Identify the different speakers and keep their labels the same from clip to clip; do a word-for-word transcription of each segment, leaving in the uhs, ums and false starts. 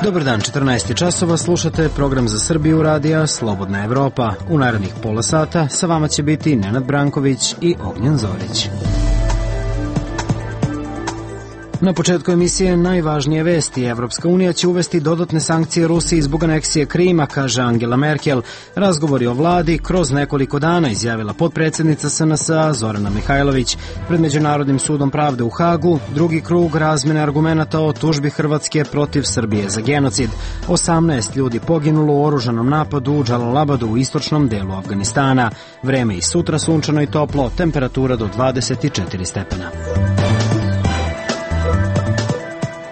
Speaker 1: Dobar dan, četrnaest časova, slušate program za Srbiju radija Slobodna Evropa. U narednih pola sata sa vama će biti Nenad Branković i Ognjen Zorić. Na početku emisije najvažnije vesti. Evropska unija će uvesti dodatne sankcije Rusiji zbog aneksije Krima, kaže Angela Merkel. Razgovori o vladi kroz nekoliko dana, izjavila potpredsjednica S N S-a Zorana Mihajlović. Pred Međunarodnim sudom pravde u Hagu drugi krug razmene argumenata o tužbi Hrvatske protiv Srbije za genocid. osamnaest ljudi poginulo u oružanom napadu u Džalalabadu u istočnom delu Afganistana. Vreme i sutra sunčano i toplo, temperatura do dvadeset četiri stepena.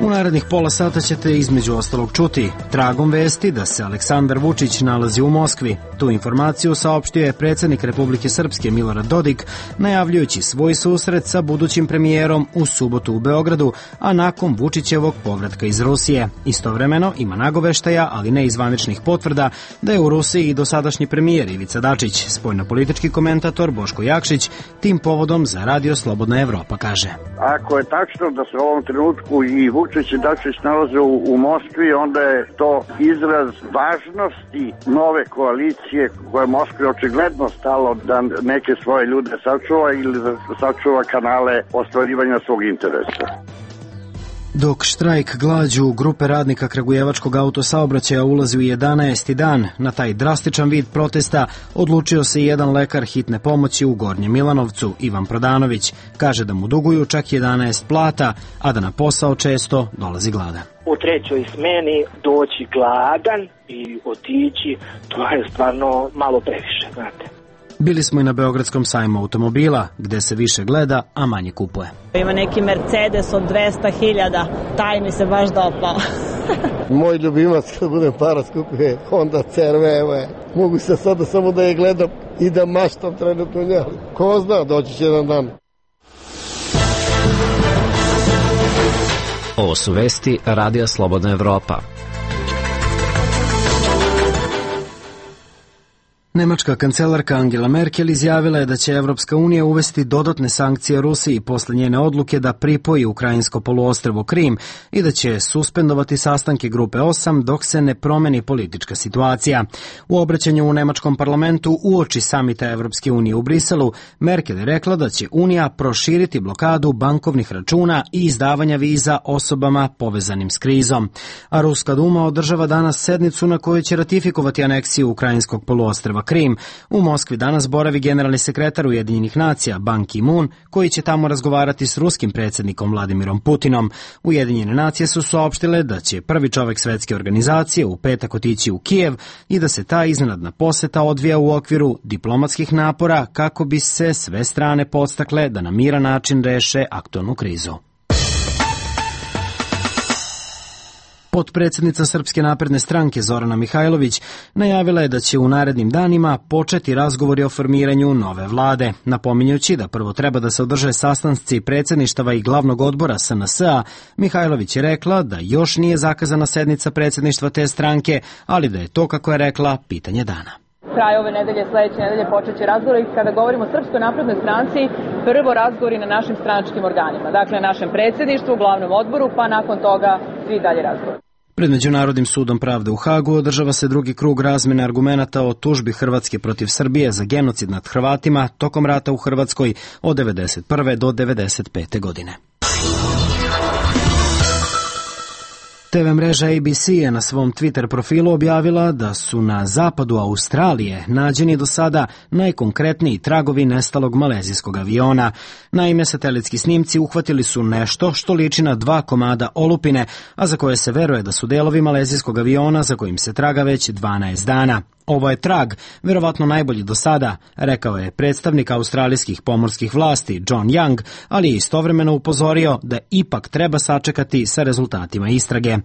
Speaker 1: U narednih pola sata ćete između ostalog čuti tragom vesti da se Aleksandar Vučić nalazi u Moskvi. Tu informaciju saopštio je predsjednik Republike Srpske Milorad Dodik, najavljujući svoj susret sa budućim premijerom u subotu u Beogradu, a nakon Vučićevog povratka iz Rusije. Istovremeno ima nagoveštaja, ali ne i zvaničnih potvrda, da je u Rusiji i dosadašnji premijer Ivica Dačić. Spoljnopolitički komentator Boško Jakšić tim povodom za Radio Slobodna Evropa kaže:
Speaker 2: Ako je tačno da se u ovom trenutku i Vučić i Dačić nalaze u, u Moskvi, onda je to izraz važnosti nove koalicije koja Moskvi očigledno stalo da neke svoje ljude sačuva ili da sačuva kanale ostvarivanja svog interesa.
Speaker 1: Dok štrajk glađu grupe radnika kragujevačkog autosaobraćaja ulazi u jedanaesti dan, na taj drastičan vid protesta odlučio se i jedan lekar hitne pomoći u Gornjem Milanovcu, Ivan Prodanović. Kaže da mu duguju čak jedanaest plata, a da na posao često dolazi gladan.
Speaker 3: U trećoj smeni doći gladan i otići, to je stvarno malo previše, znate.
Speaker 1: Bili smo i na Beogradskom sajmu automobila, gde se više gleda, a manje kupuje.
Speaker 4: Ima neki Mercedes od dvesta hiljada, taj mi se baš dopao.
Speaker 5: Moj ljubimac kad budem para skupio Honda C R V, evo je. Mogu se sada samo da je gledam i da maštam trenutno njeli. Ko zna, doći će jedan dan.
Speaker 6: Ovo su vesti Radija Slobodna Evropa.
Speaker 1: Nemačka kancelarka Angela Merkel izjavila je da će Evropska unija uvesti dodatne sankcije Rusiji posle njene odluke da pripoji ukrajinsko poluostrvo Krim i da će suspendovati sastanke grupe osam dok se ne promeni politička situacija. U obraćanju u nemačkom parlamentu uoči samita Evropske unije u Briselu, Merkel je rekla da će Unija proširiti blokadu bankovnih računa i izdavanja viza osobama povezanim s krizom. A Ruska duma održava danas sednicu na kojoj će ratifikovati aneksiju ukrajinskog poluostrva Krim. U Moskvi danas boravi generalni sekretar Ujedinjenih nacija Ban Ki-moon, koji će tamo razgovarati s ruskim predsjednikom Vladimirom Putinom. Ujedinjene nacije su saopštile da će prvi čovek svetske organizacije u petak otići u Kijev i da se ta iznenadna poseta odvija u okviru diplomatskih napora kako bi se sve strane podstakle da na miran način reše aktualnu krizu. Potpredsjednica Srpske napredne stranke Zorana Mihajlović najavila je da će u narednim danima početi razgovori o formiranju nove vlade. Napominjući da prvo treba da se održe sastanci predsjedništava i glavnog odbora S N S-a, Mihajlović je rekla da još nije zakazana sednica predsjedništva te stranke, ali da je to, kako je rekla, pitanje dana.
Speaker 7: Kraj ove nedelje, sledeće nedelje počet će razgovori. Kada govorimo o Srpskoj naprednoj stranci, prvo razgovori na našim stranačkim organima, dakle našem predsjedništvu, glavnom odboru, pa nakon toga svi dalje razgovori.
Speaker 1: Pred Međunarodnim sudom pravde u Hagu održava se drugi krug razmene argumenata o tužbi Hrvatske protiv Srbije za genocid nad Hrvatima tokom rata u Hrvatskoj od devedeset prve do devedeset pete godine. T V mreža A B C je na svom Twitter profilu objavila da su na zapadu Australije nađeni do sada najkonkretniji tragovi nestalog malezijskog aviona. Naime, satelitski snimci uhvatili su nešto što liči na dva komada olupine, a za koje se veruje da su delovi malezijskog aviona za kojim se traga već dvanaest dana. Ovo je trag, verovatno najbolji do sada, rekao je predstavnik australijskih pomorskih vlasti John Young, ali je istovremeno upozorio da ipak treba sačekati sa rezultatima istrage.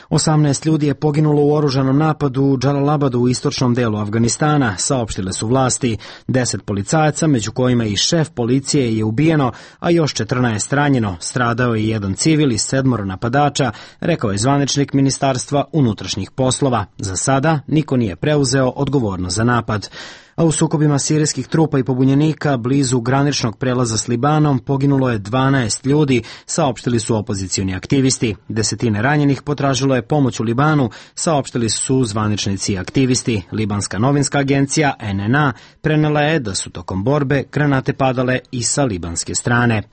Speaker 1: osamnaest ljudi je poginulo u oružanom napadu u Džalalabadu u istočnom delu Afganistana, saopštile su vlasti. deset policajaca, među kojima i šef policije, je ubijeno, a još četrnaest ranjeno. Stradao je jedan civil i sedmoro napadača, rekao je zvaničnik Ministarstva unutrašnjih poslova. Za sada niko nije preuzeo preuzeo odgovornost za napad. A u sukobima sirijskih trupa i pobunjenika blizu graničnog prelaza s Libanom poginulo je dvanaest ljudi, saopštili su opozicioni aktivisti. Desetine ranjenih potražilo je pomoć u Libanu, saopštili su zvaničnici i aktivisti. Libanska novinska agencija N N A prenela je da su tokom borbe granate padale i sa libanske strane.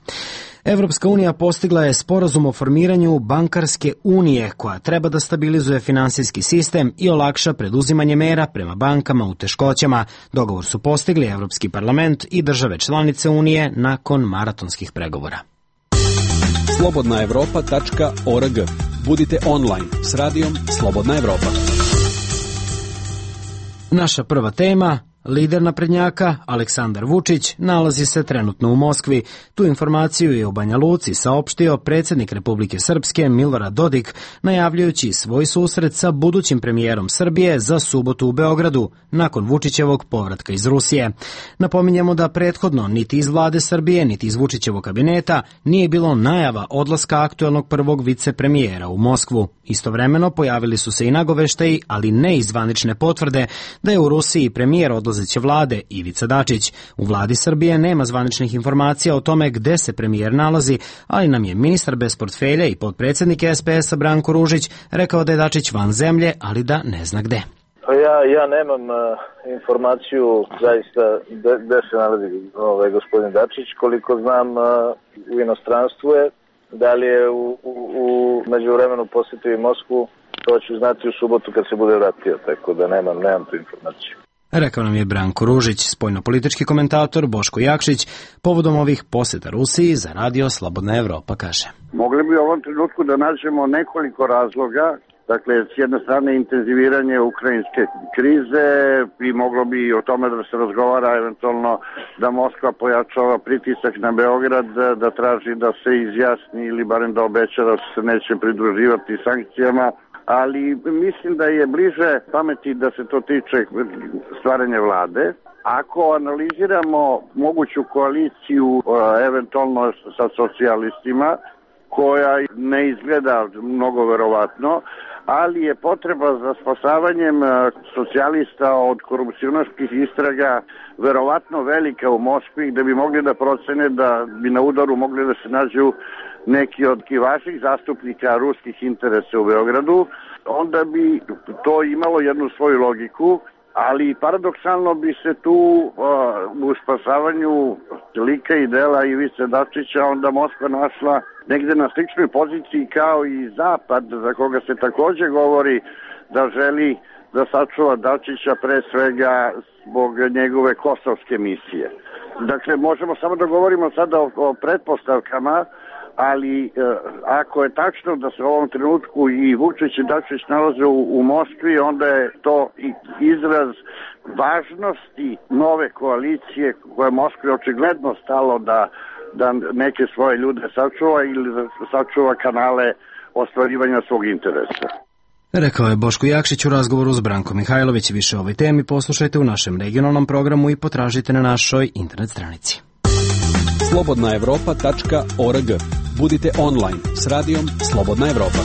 Speaker 1: Evropska unija postigla je sporazum o formiranju bankarske unije koja treba da stabilizuje finansijski sistem i olakša preduzimanje mera prema bankama u teškoćama. Dogovor su postigli Evropski parlament i države članice unije nakon maratonskih pregovora.
Speaker 8: slobodna evropa tačka org. Budite online s radijom Slobodna Evropa.
Speaker 1: Naša prva tema. Lider naprednjaka, Aleksandar Vučić, nalazi se trenutno u Moskvi. Tu informaciju je u Banja Luci saopštio predsjednik Republike Srpske Milorad Dodik, najavljujući svoj susret sa budućim premijerom Srbije za subotu u Beogradu, nakon Vučićevog povratka iz Rusije. Napominjemo da prethodno niti iz vlade Srbije, niti iz Vučićevog kabineta nije bilo najava odlaska aktuelnog prvog vicepremijera u Moskvu. Istovremeno pojavili su se i nagoveštaji, ali ne i zvanične potvrde, da je u Rusiji premijer odlazeće vlade Ivica Dačić. U vladi Srbije nema zvaničnih informacija o tome gde se premijer nalazi, ali nam je ministar bez portfelja i potpredsjednik S P S-a Branko Ružić rekao da je Dačić van zemlje, ali da ne zna gde.
Speaker 9: Ja, ja nemam uh, informaciju zaista gde se nalazi ovaj, gospodin Dačić. Koliko znam, uh, u inostranstvu je. Da li je u, u, u međuvremenu posjetio i Moskvu, to ću znati u subotu kad se bude vratio, tako da nemam, nemam tu informaciju.
Speaker 1: Rekao nam je Branko Ružić, spoljnopolitički komentator Boško Jakšić, povodom ovih posjeta Rusiji za radio Slobodna Evropa kaže.
Speaker 2: Mogli bi u ovom trenutku da nađemo nekoliko razloga. Dakle, s jedne strane intenziviranje ukrajinske krize i moglo bi o tome da se razgovara eventualno da Moskva pojačava pritisak na Beograd, da traži da se izjasni ili barem da obeća da se neće pridruživati sankcijama, ali mislim da je bliže pameti da se to tiče stvaranja vlade. Ako analiziramo moguću koaliciju eventualno sa socijalistima, koja ne izgleda mnogo verovatno, ali je potreba za spasavanjem socijalista od korupcionaških istraga verovatno velika u Moskvi, gde bi mogli da procene da bi na udaru mogli da se nađu neki od vaših zastupnika ruskih interesa u Beogradu, onda bi to imalo jednu svoju logiku, ali paradoksalno bi se tu uh, u spasavanju lika i dela Ivice Dačića onda Moskva našla negde na sličnoj poziciji kao i Zapad, za koga se takođe govori da želi da sačuva Dačića pre svega zbog njegove kosovske misije. Dakle, možemo samo da govorimo sada o, o pretpostavkama, ali e, ako je tačno da se u ovom trenutku i Vučić i Dačić nalaze u, u Moskvi, onda je to i izraz važnosti nove koalicije koje Moskvi očigledno stalo da, da neke svoje ljude sačuva ili da sačuva kanale ostvarivanja svog interesa.
Speaker 1: Rekao je Boško Jakšić u razgovoru s Brankom Mihajlović. Više o ovoj temi poslušajte u našem regionalnom programu i potražite na našoj internet stranici.
Speaker 8: slobodna evropa tačka org. Budite online s radijom Slobodna Evropa.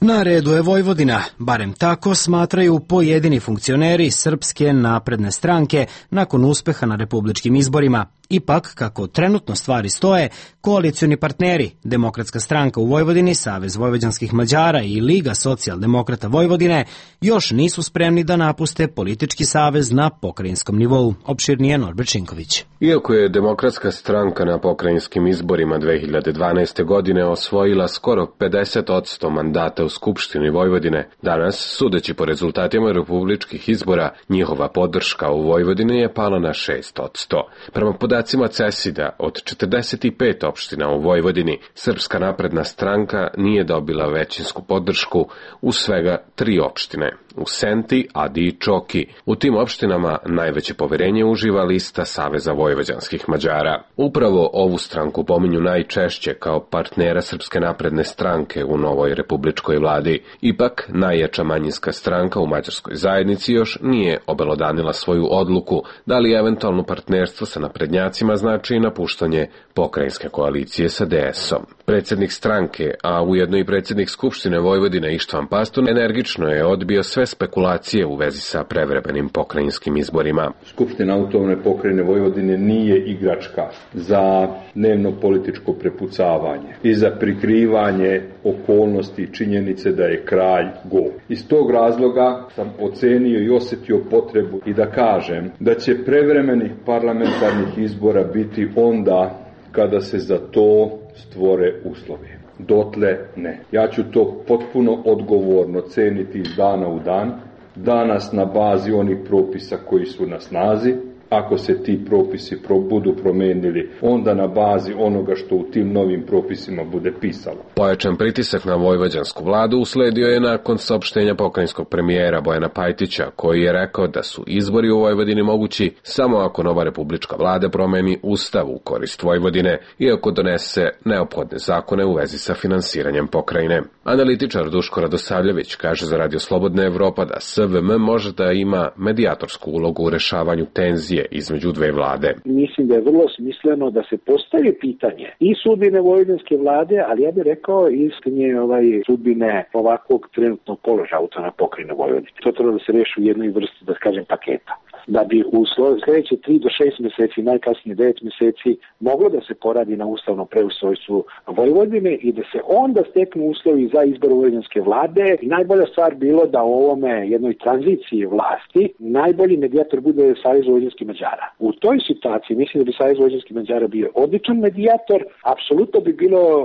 Speaker 1: Na redu je Vojvodina, barem tako smatraju pojedini funkcioneri Srpske napredne stranke nakon uspeha na republičkim izborima. Ipak, kako trenutno stvari stoje, koalicioni partneri, Demokratska stranka u Vojvodini, Savez vojvođanskih Mađara i Liga socijaldemokrata Vojvodine, još nisu spremni da napuste politički savez na pokrajinskom nivou. Opširnije Norbert Šinković.
Speaker 10: Iako je Demokratska stranka na pokrajinskim izborima dve hiljade dvanaeste. godine osvojila skoro pedeset posto mandata u Skupštini Vojvodine, danas, sudeći po rezultatima republičkih izbora, njihova podrška u Vojvodini je pala na šest posto. Prema podacima CESID-a, od četrdeset pet opština u Vojvodini, Srpska napredna stranka nije dobila većinsku podršku u svega tri opštine, u Senti, Adi i Čoki. U tim opštinama najveće poverenje uživa lista Saveza vojvođanskih Mađara. Upravo ovu stranku pominju najčešće kao partnera Srpske napredne stranke u novoj republičkoj vladi. Ipak, najjača manjinska stranka u mađarskoj zajednici još nije obelodanila svoju odluku da li eventualno partnerstvo sa naprednjacima naprednjacima znači i napuštanje pokrajinske koalicije sa D S-om. Predsjednik stranke, a ujedno i predsjednik Skupštine Vojvodine Ištvan Pastor energično je odbio sve spekulacije u vezi sa prevremenim pokrajinskim izborima.
Speaker 11: Skupština autonomne pokrajine Vojvodine nije igračka za dnevno političko prepucavanje i za prikrivanje okolnosti i činjenice da je kralj gol. Iz tog razloga sam ocenio i osjetio potrebu i da kažem da će prevremenih parlamentarnih izbora biti onda kada se za to stvore uslovi. Dotle ne. Ja ću to potpuno odgovorno ceniti iz dana u dan, danas na bazi onih propisa koji su na snazi. Ako se ti propisi pro, budu promenili, onda na bazi onoga što u tim novim propisima bude pisalo.
Speaker 10: Pojačan pritisak na vojvođansku vladu usledio je nakon saopštenja pokrajinskog premijera Bojana Pajtića, koji je rekao da su izbori u Vojvodini mogući samo ako nova republička vlada promeni ustav u korist Vojvodine i ako donese neophodne zakone u vezi sa finansiranjem pokrajine. Analitičar Duško Radosavljević kaže za Radio Slobodna Evropa da S V M može da ima medijatorsku ulogu u rešavanju tenzije između dve vlade.
Speaker 12: Mislim da je vrlo smisleno da se postavi pitanje i sudbine vojvođanske vlade, ali ja bih rekao i istinje ovaj sudbine ovakvog trenutnog položaja autonomne pokrajine Vojvodine. To treba da se reši u jednoj vrsti, da kažem, paketa. Da bi u sljedeće tri do šest mjeseci, najkasnije devet mjeseci, moglo da se poradi na ustavnom preustrojstvu Vojvodine i da se onda steknu uslovi za izbor vojvođanske vlade. I najbolja stvar bilo da u ovome jednoj tranziciji vlasti najbolji medijator bude Savez vojvođanskih Mađara. U toj situaciji mislim da bi Savez vojvođanskih Mađara bio odličan medijator. Apsolutno bi bilo uh,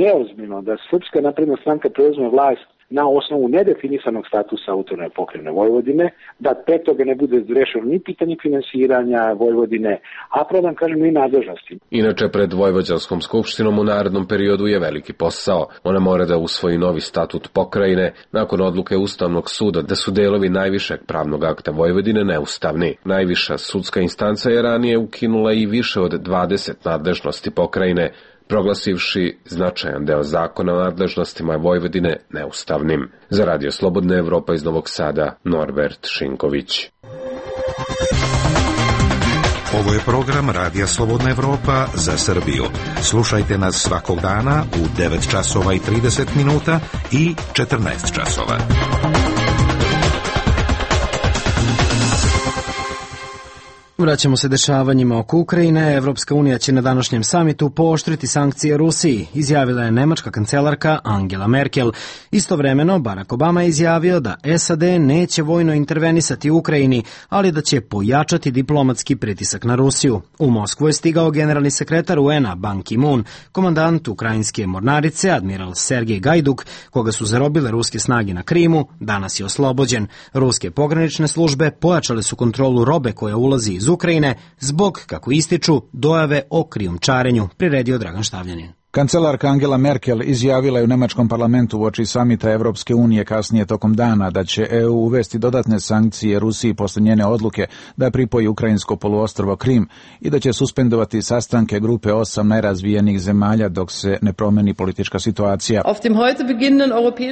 Speaker 12: neozbiljno da Srpska napredna stranka preuzme vlast na osnovu nedefinisanog statusa autonomne pokrajine Vojvodine, da pre toga ne bude rešeno ni pitanje finansiranja Vojvodine, a prodan kažem i nadležnosti.
Speaker 10: Inače, pred Vojvođanskom skupštinom u narednom periodu je veliki posao. Ona mora da usvoji novi statut pokrajine nakon odluke Ustavnog suda da su delovi najvišeg pravnog akta Vojvodine neustavni. Najviša sudska instanca je ranije ukinula i više od dvadeset nadležnosti pokrajine, proglasivši značajan deo zakona o nadležnostima Vojvodine neustavnim. Za Radio Slobodna Evropa iz Novog Sada, Norbert Šinković.
Speaker 13: Ovo je program Radija Slobodna Evropa za Srbiju. Slušajte nas svakog dana u devet časova i trideset minuta i četrnaest časova.
Speaker 1: Vraćamo se dešavanjima oko Ukrajine. Evropska unija će na današnjem samitu pooštriti sankcije Rusiji, izjavila je nemačka kancelarka Angela Merkel. Istovremeno, Barack Obama je izjavio da S A D neće vojno intervenisati u Ukrajini, ali da će pojačati diplomatski pritisak na Rusiju. U Moskvu je stigao generalni sekretar U N A Ban Ki-moon, komandant ukrajinske mornarice, admiral Sergej Gajduk, koga su zarobile ruske snage na Krimu, danas je oslobođen. Ruske pogranične službe pojačale su kontrolu robe koja ulazi iz Ukrajine zbog, kako ističu, dojave o krijumčarenju, priredio Dragan Štavljanin.
Speaker 14: Kancelarka Angela Merkel izjavila je u nemačkom parlamentu uoči samita Evropske unije kasnije tokom dana da će E U uvesti dodatne sankcije Rusiji posle njene odluke da pripoji ukrajinsko poluostrvo Krim i da će suspendovati sastanke grupe osam najrazvijenijih zemalja dok se ne promeni politička situacija.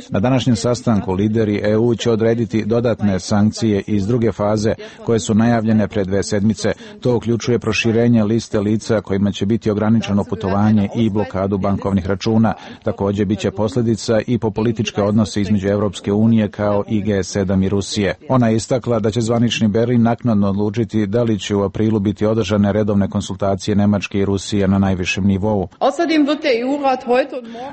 Speaker 14: Na današnjem sastanku lideri E U će odrediti dodatne sankcije iz druge faze koje su najavljene pre dve sedmice. To uključuje proširenje liste lica kojima će biti ograničeno putovanje i blokadu bankovnih računa. Također biće posljedica i po političke odnose između Evropske unije kao i G sedam i Rusije. Ona je istakla da će zvanični Berlin naknadno odlučiti da li će u aprilu biti održane redovne konsultacije Nemačke i Rusije na najvišem nivou.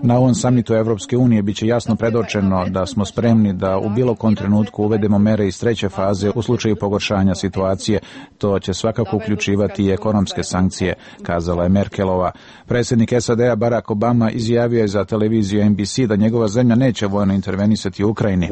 Speaker 14: Na ovom samitu Evropske unije biće jasno predočeno da smo spremni da u bilo kom trenutku uvedemo mere iz treće faze u slučaju pogoršanja situacije. To će svakako uključivati i ekonomske sankcije, kazala je Merkelova. Predsjednik S A D-a Barack Obama izjavio je za televiziju N B C da njegova zemlja neće vojno intervenisati u Ukrajini.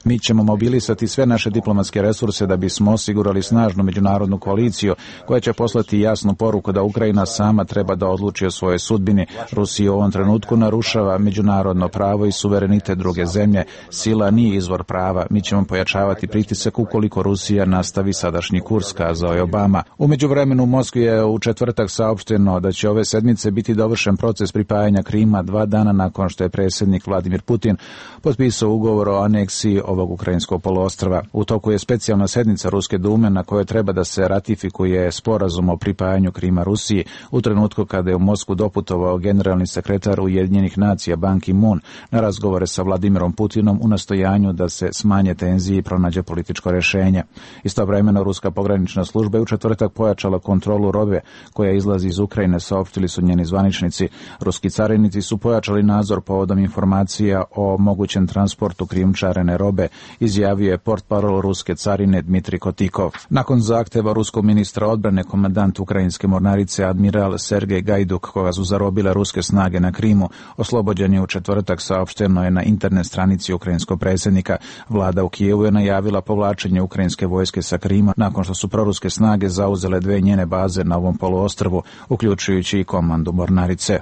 Speaker 14: Mi ćemo mobilisati sve naše diplomatske resurse da bismo osigurali snažnu međunarodnu koaliciju koja će poslati jasnu poruku da Ukrajina sama treba da odluči o svojoj sudbini. Rusija u ovom trenutku narušava međunarodno pravo i suverenitet druge zemlje. Sila nije izvor prava. Mi ćemo pojačavati pritisak ukoliko Rusija nastavi sadašnji kurs, kazao je Obama. U međuvremenu u Moskvi je u četvrtak četvrtak saopšteno da će ove sedmice biti dovršen proces pripajanja Krima dva dana nakon što je predsjednik Vladimir Putin potpisao ugovor o aneksiji ovog ukrajinskog poluostrva. U toku je specijalna sednica Ruske dume na kojoj treba da se ratifikuje sporazum o pripajanju Krima Rusiji u trenutku kada je u Moskvu doputovao generalni sekretar Ujedinjenih nacija Ban Ki-moon na razgovore sa Vladimirom Putinom u nastojanju da se smanje tenzije i pronađe političko rješenje. Istovremeno Ruska pogranična služba je u četvrtak pojačala kontrolu robe koja izlazi iz Ukrajine, saopštili su njeni zvaničnici. Ruski carinici su pojačali nadzor povodom informacija o mogućem transportu krijumčarene robe, izjavio je portparol ruske carine Dmitrij Kotikov. Nakon zahteva ruskog ministra odbrane, komandant ukrajinske mornarice admiral Sergej Gajduk, koga su zarobile ruske snage na Krimu, oslobođen je u četvrtak, saopšteno je na internet stranici ukrajinskog predsjednika. Vlada u Kijevu je najavila povlačenje ukrajinske vojske sa Krima nakon što su proruske snage zauzele dve njene baze na ovom poluostrvu, uključujući i komandu mornarice.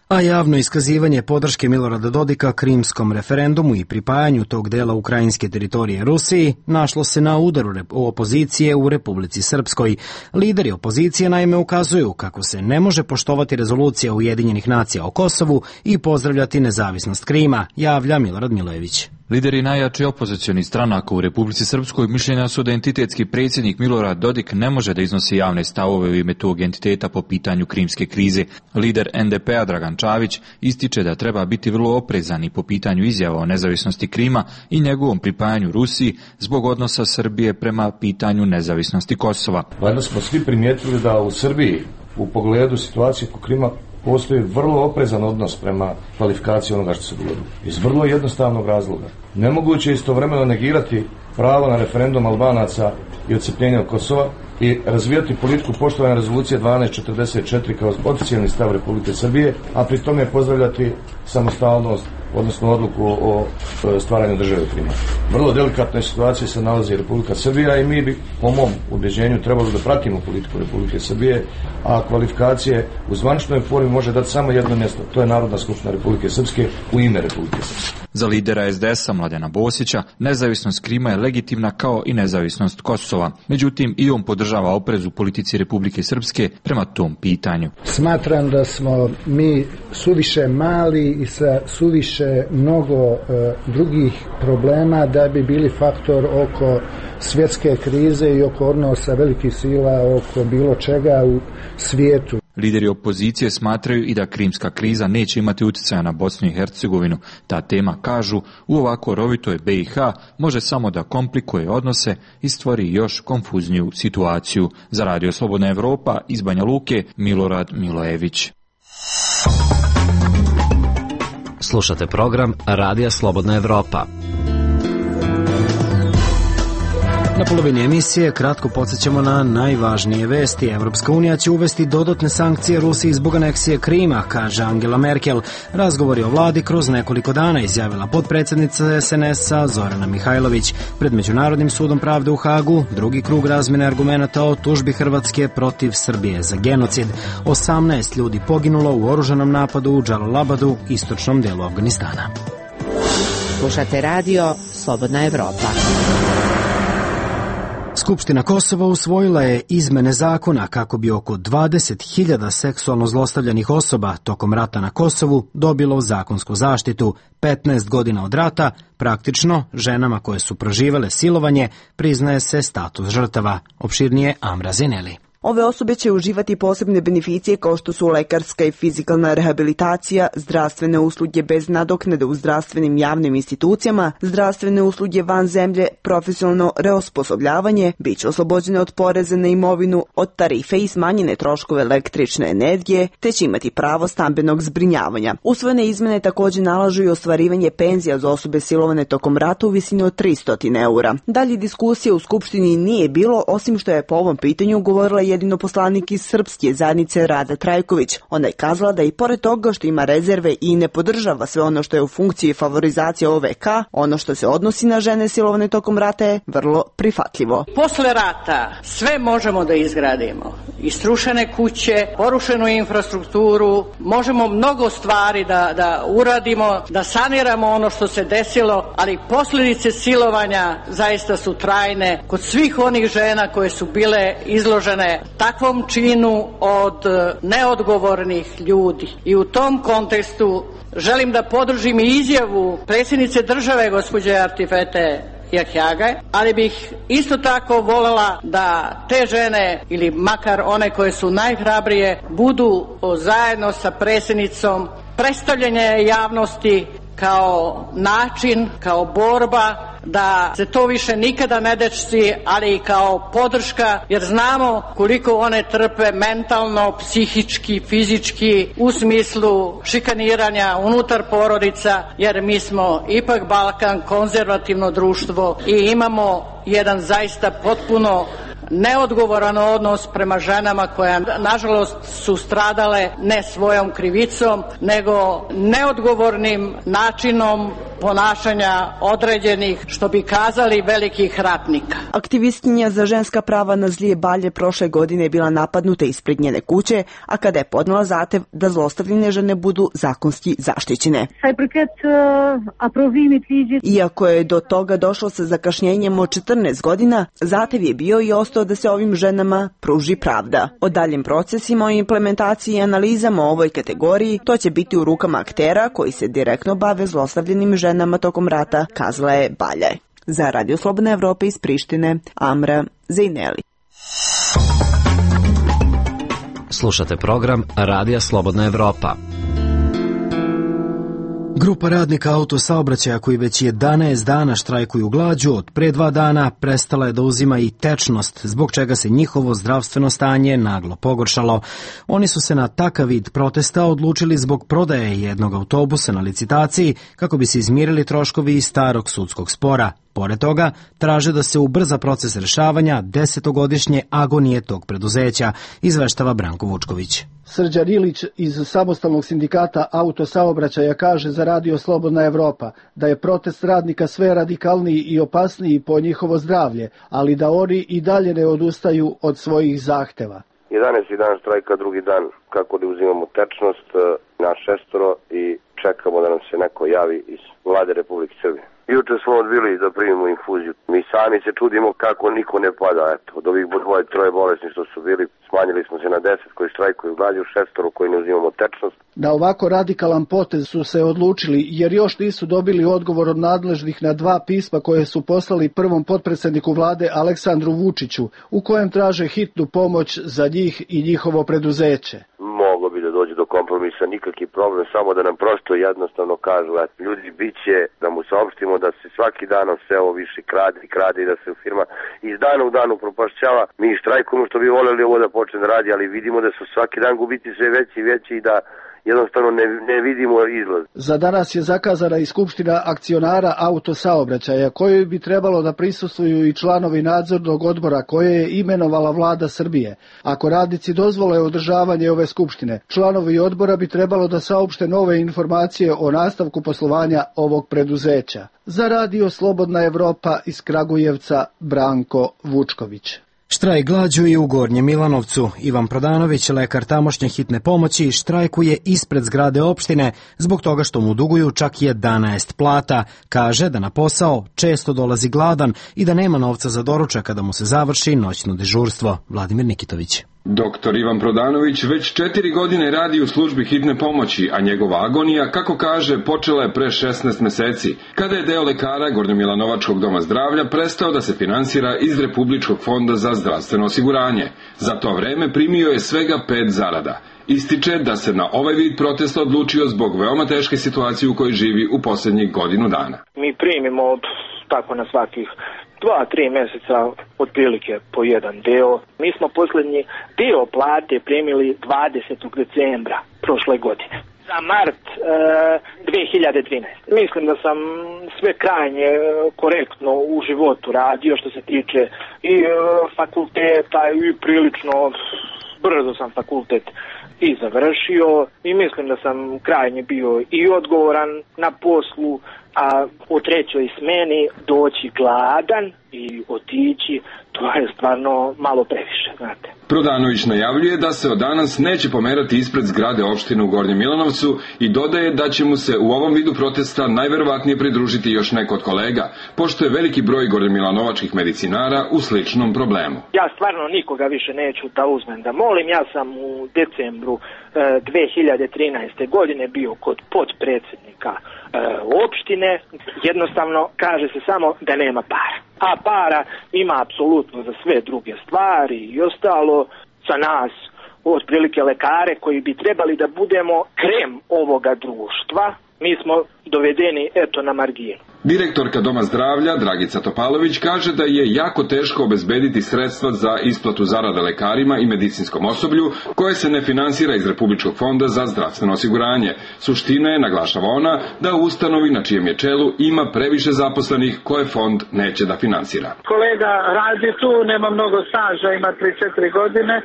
Speaker 1: A javno iskazivanje podrške Milorada Dodika krimskom referendumu i pripajanju tog dela ukrajinske teritorije Rusiji našlo se na udaru opozicije u Republici Srpskoj. Lideri opozicije naime ukazuju kako se ne može poštovati rezolucija Ujedinjenih nacija o Kosovu i pozdravljati nezavisnost Krima, javlja Milorad Milojević.
Speaker 15: Lideri najjači opozicionih stranaka u Republici Srpskoj mišljenja su da entitetski predsjednik Milorad Dodik ne može da iznosi javne stavove u ime tog entiteta po pitanju krimske krize. Lider en de pe a Dragan Čavić ističe da treba biti vrlo oprezan i po pitanju izjava o nezavisnosti Krima i njegovom pripajanju Rusiji zbog odnosa Srbije prema pitanju nezavisnosti Kosova.
Speaker 16: Valjda smo svi primijetili da u Srbiji u pogledu situacije oko Krima postoji vrlo oprezan odnos prema kvalifikaciji onoga što se dogodilo. Iz vrlo jednostavnog razloga. Nemoguće je istovremeno negirati pravo na referendum Albanaca i odcepljenje od Kosova i razvijati politiku poštovanja rezolucije dvanaest četrdeset četiri kao oficijalni stav Republike Srbije, a pri tome pozdravljati samostalnost, odnosno odluku o stvaranju države u Krimu. Vrlo delikatnoj situaciji se nalazi Republika Srbija i mi bi, po mom ubeđenju, trebalo da pratimo politiku Republike Srbije, a kvalifikacije u zvaničnoj formi može dati samo jedno mjesto, to je Narodna skupština Republike Srpske u ime Republike Srpske.
Speaker 15: Za lidera es de es a Mladena Bosića, nezavisnost Krima je legitimna kao i nezavisnost Kosova. Međutim, i on podržava oprez u politici Republike Srpske prema tom pitanju.
Speaker 17: Smatram da smo mi suviše mali i sa suviše mnogo e, drugih problema da bi bili faktor oko svjetske krize i oko odnosa velikih sila oko bilo čega u svijetu.
Speaker 15: Lideri opozicije smatraju i da krimska kriza neće imati utjecaja na Bosnu i Hercegovinu. Ta tema, kažu, u ovako rovitoj be i ha može samo da komplikuje odnose i stvori još konfuzniju situaciju. Za Radio Slobodna Evropa iz Banja Luke, Milorad Milojević.
Speaker 6: Slušate program Radija Slobodna Evropa.
Speaker 1: Na polovini emisije kratko podsjećamo na najvažnije vesti. Evropska unija će uvesti dodatne sankcije Rusiji zbog aneksije Krima, kaže Angela Merkel. Razgovori o vladi kroz nekoliko dana, izjavila potpredsjednica es en es a Zorana Mihajlović. Pred Međunarodnim sudom pravde u Hagu drugi krug razmjene argumenata o tužbi Hrvatske protiv Srbije za genocid. osamnaest ljudi poginulo u oružanom napadu u Džalalabadu, istočnom delu Afganistana.
Speaker 18: Slušate radio Slobodna Evropa.
Speaker 1: Skupština Kosova usvojila je izmene zakona kako bi oko dvadeset hiljada seksualno zlostavljanih osoba tokom rata na Kosovu dobilo zakonsku zaštitu. petnaest godina od rata, praktično, ženama koje su proživele silovanje priznaje se status žrtava. Opširnije Amra Zineli.
Speaker 19: Ove osobe će uživati posebne beneficije kao što su lekarska i fizikalna rehabilitacija, zdravstvene usluge bez nadoknade u zdravstvenim javnim institucijama, zdravstvene usluge van zemlje, profesionalno reosposobljavanje, bit će oslobođene od poreza na imovinu, od tarife i smanjene troškove električne energije, te će imati pravo stambenog zbrinjavanja. Usvojene izmene također nalažu i ostvarivanje penzija za osobe silovane tokom rata u visini od tristo eura. Dalje diskusije u Skupštini nije bilo, osim što je po ovom pitanju govorila jedino poslanik iz srpske zajednice Rada Trajković. Ona je kazala da i pored toga što ima rezerve i ne podržava sve ono što je u funkciji favorizacije o ve ka, ono što se odnosi na žene silovane tokom rata je vrlo prihvatljivo.
Speaker 20: Posle rata sve možemo da izgradimo. Istrušene kuće, porušenu infrastrukturu, možemo mnogo stvari da, da uradimo, da saniramo ono što se desilo, ali posljedice silovanja zaista su trajne kod svih onih žena koje su bile izložene takvom činu od neodgovornih ljudi. I u tom kontekstu želim da podržim i izjavu predsjednice države gospođe Artifete Jahjage, ali bih isto tako voljela da te žene ili makar one koje su najhrabrije budu zajedno sa predsjednicom predstavljanje javnosti kao način, kao borba da se to više nikada ne desi, ali i kao podrška, jer znamo koliko one trpe mentalno, psihički, fizički, u smislu šikaniranja unutar porodica, jer mi smo ipak Balkan, konzervativno društvo i imamo jedan zaista potpuno neodgovoran odnos prema ženama koje nažalost su stradale ne svojom krivicom nego neodgovornim načinom ponašanja određenih, što bi kazali, velikih ratnika.
Speaker 19: Aktivistkinja za ženska prava na Zlije Balje prošle godine je bila napadnuta ispred njene kuće, a kada je podnela zahtev da zlostavljene žene budu zakonski zaštićene. Iako je do toga došlo sa zakašnjenjem od četrnaest godina, zahtev je bio i ostao da se ovim ženama pruži pravda. O daljim procesima, o implementaciji i analizama o ovoj kategoriji, to će biti u rukama aktera koji se direktno bave zlostavljenim ženama tokom rata, kazala je Balje. Za Radio Slobodna Evropa iz Prištine, Amra Zejneli.
Speaker 6: Slušate program Radija Slobodna Evropa.
Speaker 1: Grupa radnika autosaobraćaja koji već jedanaest dana štrajkuju glađu od pre dva dana prestala je da uzima i tečnost, zbog čega se njihovo zdravstveno stanje naglo pogoršalo. Oni su se na takav vid protesta odlučili zbog prodaje jednog autobusa na licitaciji kako bi se izmirili troškovi iz starog sudskog spora. Pored toga, traže da se ubrza proces rešavanja desetogodišnje agonije tog preduzeća, izveštava Branko Vučković.
Speaker 17: Srđan Ilić iz samostalnog sindikata autosaobraćaja kaže za Radio Slobodna Evropa da je protest radnika sve radikalniji i opasniji po njihovo zdravlje, ali da oni i dalje ne odustaju od svojih zahteva.
Speaker 21: jedanaesti dan štrajka, drugi dan kako da uzimamo tečnost na šestoro i čekamo da nam se neko javi iz vlade Republike Srbije. Juče smo odbili da primimo infuziju. Mi sami se čudimo kako niko ne pada. Eto, od ovih dvoje, troje bolesni što su bili, smanjili smo se na deset koji štrajkuju glađu, šestoro koji ne uzimamo tečnost.
Speaker 17: Na ovako radikalan potez su se odlučili jer još nisu dobili odgovor od nadležnih na dva pisma koje su poslali prvom potpredsjedniku vlade Aleksandru Vučiću, u kojem traže hitnu pomoć za njih i njihovo preduzeće.
Speaker 21: Moglo bi da dođe do kompromisa, nikakvi problem, samo da nam prosto jednostavno kažu, et, ljudi bit će da mu saopštimo da se svaki dan sve ovo više krade i krade i da se firma iz dana u danu propašćava. Mi štrajkujemo što bi voljeli ovo da počne da radi, ali vidimo da su svaki dan gubiti sve veći i veći i da jednostavno ne, ne vidimo izlaz.
Speaker 17: Za danas je zakazana i skupština akcionara autosaobraćaja, kojoj bi trebalo da prisustvuju i članovi nadzornog odbora koje je imenovala vlada Srbije. Ako radnici dozvole održavanje ove skupštine, članovi odbora bi trebalo da saopšte nove informacije o nastavku poslovanja ovog preduzeća. Za Radio Slobodna Evropa iz Kragujevca, Branko Vučković.
Speaker 1: Štrajk glađu i u Gornjem Milanovcu. Ivan Prodanović, lekar tamošnje hitne pomoći, štrajkuje ispred zgrade opštine zbog toga što mu duguju čak jedanaest plata. Kaže da na posao često dolazi gladan i da nema novca za doručak kada mu se završi noćno dežurstvo. Vladimir Nikitović.
Speaker 22: Doktor Ivan Prodanović već četiri godine radi u službi hitne pomoći, a njegova agonija, kako kaže, počela je pre šesnaest meseci, kada je deo lekara Gornjomilanovačkog doma zdravlja prestao da se finansira iz Republičkog fonda za zdravstveno osiguranje. Za to vreme primio je svega pet zarada. Ističe da se na ovaj vid protesta odlučio zbog veoma teške situacije u kojoj živi u posljednjih godinu dana.
Speaker 3: Mi primimo tako na svakih dva, tri mjeseca otprilike po jedan deo. Mi smo posljednji dio plate primili dvadesetog decembra prošle godine. Za mart e, dve hiljade dvanaeste. Mislim da sam sve krajnje korektno u životu radio što se tiče i e, fakulteta i prilično brzo sam fakultet i završio i mislim da sam krajnje bio i odgovoran na poslu a u trećoj smeni doći gladan i otići, to je stvarno malo previše, znate.
Speaker 22: Prodanović najavljuje da se od danas neće pomerati ispred zgrade opštine u Gornjem Milanovcu i dodaje da će mu se u ovom vidu protesta najverovatnije pridružiti još neko od kolega, pošto je veliki broj gornjemilanovačkih medicinara u sličnom problemu.
Speaker 3: Ja stvarno nikoga više neću da uzmem da molim. Ja sam u decembru e, dve hiljade trinaeste. godine bio kod podpredsjednika e, opštine. Jednostavno kaže se samo da nema para. A para ima apsolutno za sve druge stvari i ostalo. Za nas, otprilike lekare koji bi trebali da budemo krem ovoga društva, mi smo dovedeni eto na marginu.
Speaker 22: Direktorka Doma zdravlja Dragica Topalović kaže da je jako teško obezbediti sredstva za isplatu zarada lekarima i medicinskom osoblju koje se ne finansira iz Republičkog fonda za zdravstveno osiguranje. Suština je, naglašava ona, da u ustanovi na čijem je čelu ima previše zaposlenih koje fond neće da finansira.
Speaker 4: Kolega radi tu, nema mnogo staža, ima tri četiri godine.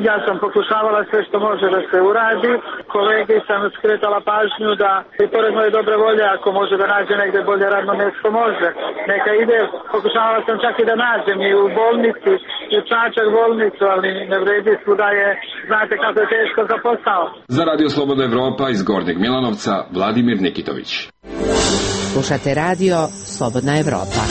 Speaker 4: Ja sam pokušavala sve što može da se uradi. Kolegi sam skretala pažnju da i pored moje dobre volje, ako može da nađe negde bolje radno mjesto, može. Neka ide, pokušavala sam čak i da nađem i u bolnici, i u Čačak bolnicu, ali ne vredi svuda je, znate kako je teško za posao.
Speaker 22: Za Radio Slobodna Evropa iz Gornjeg Milanovca, Vladimir Nikitović.
Speaker 18: Slušate radio Slobodna Evropa.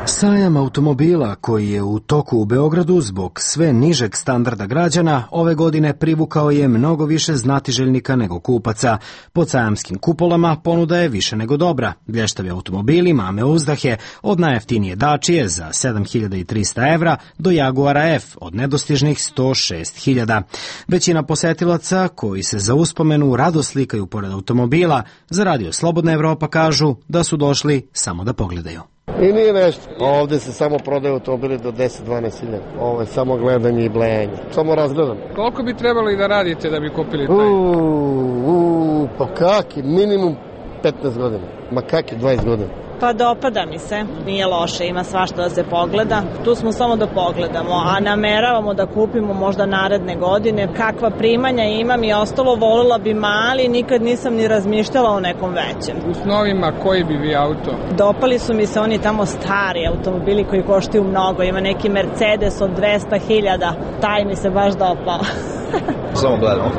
Speaker 1: Sajam automobila koji je u toku u Beogradu zbog sve nižeg standarda građana ove godine privukao je mnogo više znatiželjnika nego kupaca. Pod sajamskim kupolama ponuda je više nego dobra. Blještavi automobili mame uzdahe od najjeftinije Dačije za sedam hiljada trista evra do Jaguara F od nedostižnih sto šest hiljada. Većina posetilaca koji se za uspomenu rado slikaju pored automobila za Radio Slobodna Evropa kažu da su došli samo da pogledaju.
Speaker 5: I nije nešto. Ovde se samo prodaju automobili do deset do dvanaest hiljada. Ovo je samo gledanje i blejanje. Samo razgledam.
Speaker 23: Koliko bi trebalo i da radite da bi kupili taj?
Speaker 5: Uuu, uu, pa kaki, minimum petnaest godina. Ma kaki, dvadeset godina.
Speaker 24: Pa dopada mi se, nije loše, ima svašta da se pogleda. Tu smo samo da pogledamo, a nameravamo da kupimo možda naredne godine. Kakva primanja imam i ostalo, volila bi mali, nikad nisam ni razmišljala o nekom većem.
Speaker 23: U snovima koji bi vi auto?
Speaker 24: Dopali su mi se oni tamo stari automobili koji koštaju mnogo. Ima neki Mercedes od dvesta hiljada, taj mi se baš dopao.
Speaker 25: Samo gledamo.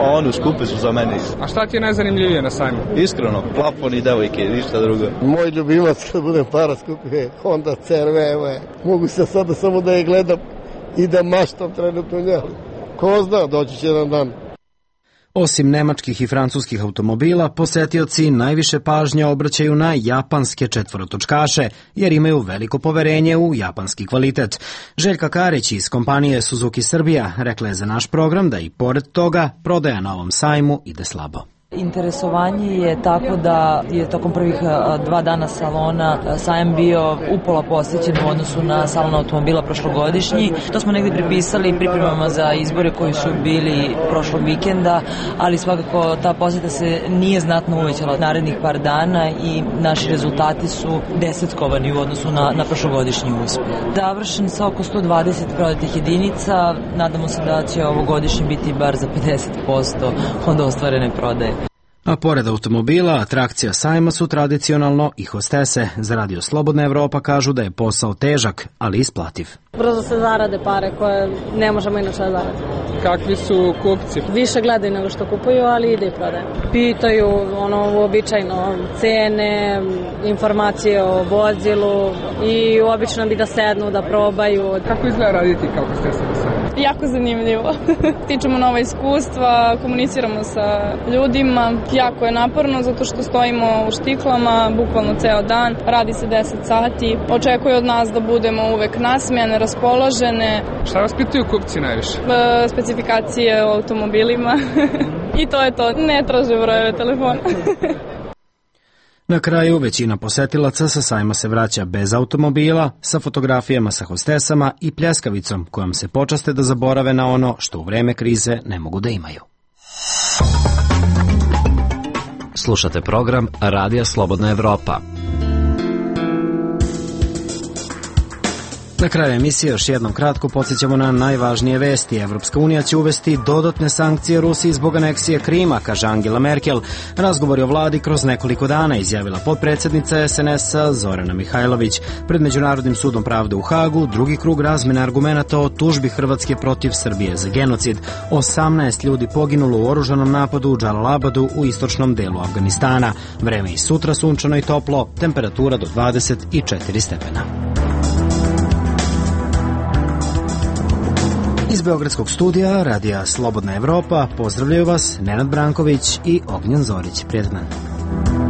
Speaker 25: Ono, skupe su za mene.
Speaker 23: A šta ti je najzanimljivije na sajmu?
Speaker 25: Iskreno, plafon i devojke, ništa drugo.
Speaker 5: Moj ljubimac kad budem para skupio Honda C R V, evo je. Mogu se sada samo da je gledam i da maštam trenutno njeli. Ko zna, doći će jedan dan.
Speaker 1: Osim nemačkih i francuskih automobila, posetioci najviše pažnje obraćaju na japanske četvorotočkaše, jer imaju veliko poverenje u japanski kvalitet. Željka Karić iz kompanije Suzuki Srbija rekla je za naš program da i pored toga prodaja na ovom sajmu ide slabo.
Speaker 26: Interesovanje je tako da je tokom prvih dva dana salona sajam bio upola posjećen u odnosu na salon automobila prošlogodišnji. To smo negdje pripisali pripremama za izbore koji su bili prošlog vikenda, ali svakako ta posjeta se nije znatno uvećala narednih par dana i naši rezultati su desetkovani u odnosu na, na prošlogodišnji uspjeh. Završen sa oko sto dvadeset prodatih jedinica, nadamo se da će ovogodišnji biti bar za pedeset posto od ostvarene prodaje.
Speaker 1: A pored automobila, atrakcija sajma su tradicionalno i hostese. Za Radio Slobodna Evropa kažu da je posao težak, ali isplativ.
Speaker 27: Brzo se zarade pare koje ne možemo inače da zaradimo.
Speaker 23: Kakvi su kupci?
Speaker 27: Više gledaju nego što kupuju, ali ide i prodaje. Pitaju ono uobičajno cene, informacije o vozilu i obično bi da sednu, da probaju.
Speaker 23: Kako izgleda raditi kao hostesa na sajmu?
Speaker 27: Jako zanimljivo. Stičemo nova iskustva, komuniciramo sa ljudima. Jako je naporno zato što stojimo u štiklama bukvalno ceo dan. Radi se deset sati. Očekuju od nas da budemo uvek nasmejane, raspoložene.
Speaker 23: Šta vas pitaju kupci najviše?
Speaker 27: E, specifikacije o automobilima. I to je to. Ne traže brojeve telefona.
Speaker 1: Na kraju, većina posetilaca sa sajma se vraća bez automobila, sa fotografijama sa hostesama i pljeskavicom kojom se počaste da zaborave na ono što u vreme krize ne mogu da imaju.
Speaker 6: Slušate program Radija Slobodna Evropa.
Speaker 1: Na kraju emisije još jednom kratko podsjećamo na najvažnije vesti. Evropska unija će uvesti dodatne sankcije Rusiji zbog aneksije Krima, kaže Angela Merkel. Razgovori o vladi kroz nekoliko dana, izjavila potpredsjednica es en es-a Zorana Mihajlović. Pred Međunarodnim sudom pravde u Hagu drugi krug razmene argumenata o tužbi Hrvatske protiv Srbije za genocid. osamnaest ljudi poginulo u oružanom napadu u Džalalabadu u istočnom delu Afganistana. Vreme i sutra sunčano i toplo, temperatura do dvadeset četiri stepena. Iz Beogradskog studija Radija Slobodna Evropa pozdravljaju vas Nenad Branković i Ognjen Zorić. Prijetan dan.